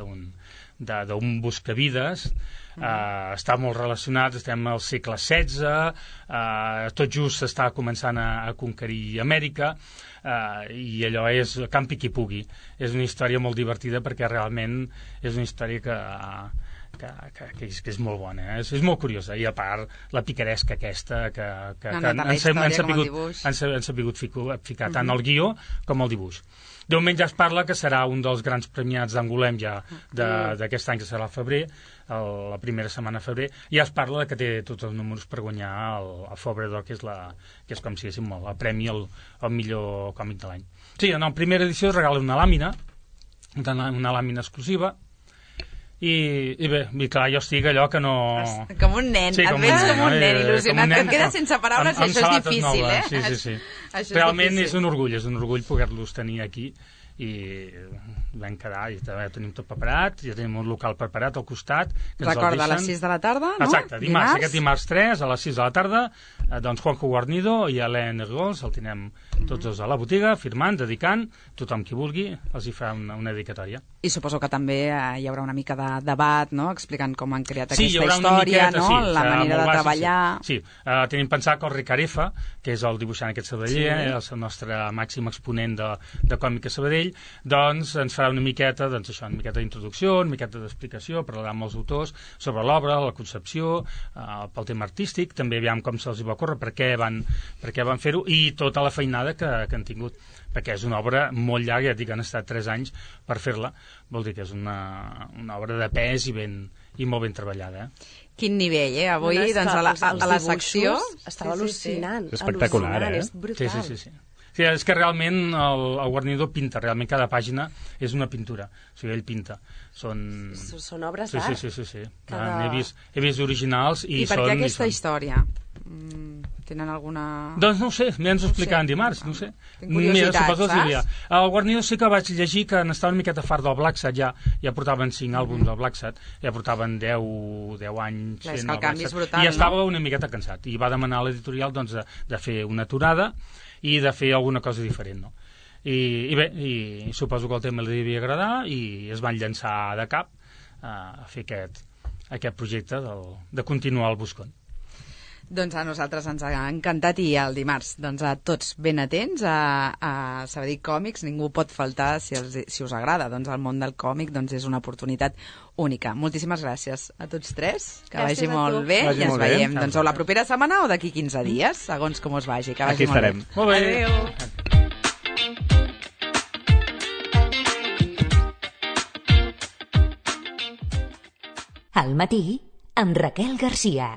d'un buscavides. Uh -huh. eh, està molt relacionat, estem al segle setze, eh, tot just s'està començant a, a conquerir Amèrica, eh, i allò és campi qui pugui. És una història molt divertida perquè realment és una història que... Que, que, que, és, que és molt bona, eh? és, és molt curiosa, i a part la picaresca aquesta que, que, no, que no, han, han, han sapigut, han, han sapigut ficar, ficar tant el guió com el dibuix. De moment ja es parla que serà un dels grans premiats d'Angolem ja d'aquest any, que serà al febrer, el, la primera setmana de febrer. Ja es parla de que té tots els números per guanyar el, el Fobredor, que és, la, que és com si diguéssim el premi al, al millor còmic de l'any. Sí, en la primera edició es regala una làmina, una, una làmina exclusiva. I, i bé, i clar, jo estic allò que no... Com un nen, sí, et veig com un nen il·lusionat, que et quedes com, sense paraules amb, i això és difícil, noves. eh? Sí, sí, sí. Això Realment és, és un orgull, és un orgull poder-los tenir aquí, i vam quedar, i ja tenim tot preparat, ja tenim un local preparat al costat. Que Recorda, a les sis de la tarda, no? Exacte, dimarts, dimarts? aquest dimarts tres, a les sis de la tarda, eh, doncs Juanjo Guarnido i Alain Ergols, el tenim tots dos a la botiga, firmant, dedicant, tothom qui vulgui, els hi fa una, una dedicatòria. I suposo que també eh, hi haurà una mica de debat, no?, explicant com han creat sí, aquesta història, miqueta, no?, sí, la manera de bàsic, treballar... Sí, sí. Uh, tenim pensat que el Ricard F, que és el dibuixant aquest sabadeller, sí. el nostre màxim exponent de, de còmic a Sabadell, doncs ens farà una miqueta, doncs això, una miqueta d'introducció, una miqueta d'explicació, parlarà amb els autors sobre l'obra, la concepció, uh, pel tema artístic, també aviam com se'ls va córrer, per què van, per què van fer-ho, i tota la feinada que, que han tingut, perquè és una obra molt llarga, ja et dic, han estat tres anys per fer-la, vol dir que és una, una obra de pes i, ben, i molt ben treballada. Eh? Quin nivell, eh? Avui, no, doncs, a la, a, a la secció... Estava sí, sí, al·lucinant. Sí. Espectacular, al·lucinant, eh? És brutal. Sí, sí, sí. sí. Sí, és que realment el, el Guarnido pinta, realment cada pàgina és una pintura, o sigui, ell pinta. Són, són obres sí, d'art. Sí, sí, sí, sí. Cada... He, vist, he vist originals i, I per són... què aquesta són... història? Mm, tenen alguna... Doncs no ho sé, m'hi ens ho explicaven no sé. dimarts, no ho sé. Tinc curiositat, Mira, saps? El Guarnido sí que vaig llegir que n'estava una miqueta fart del Black Sat, ja, ja portaven cinc àlbums del Black Sat, ja portaven deu, deu anys... Clar, és fent que el canvi és brutal, I estava no? una miqueta cansat, i va demanar a l'editorial doncs, de, de fer una aturada i de fer alguna cosa diferent, no? I, i bé, i suposo que el tema li devia agradar i es van llançar de cap a fer aquest, aquest projecte del, de continuar el Buscón. Doncs a nosaltres ens ha encantat, i el dimarts doncs a tots ben atents a, a Sabadell Còmics, ningú pot faltar si, els, si us agrada, doncs el món del còmic doncs és una oportunitat única. Moltíssimes gràcies a tots tres, que gràcies vagi molt bé vagi i ens molt veiem bé. doncs o la propera setmana o d'aquí quinze dies, segons com us vagi, que vagi Aquí molt estarem. bé. Molt bé. Adéu. Al matí, amb Raquel Garcia.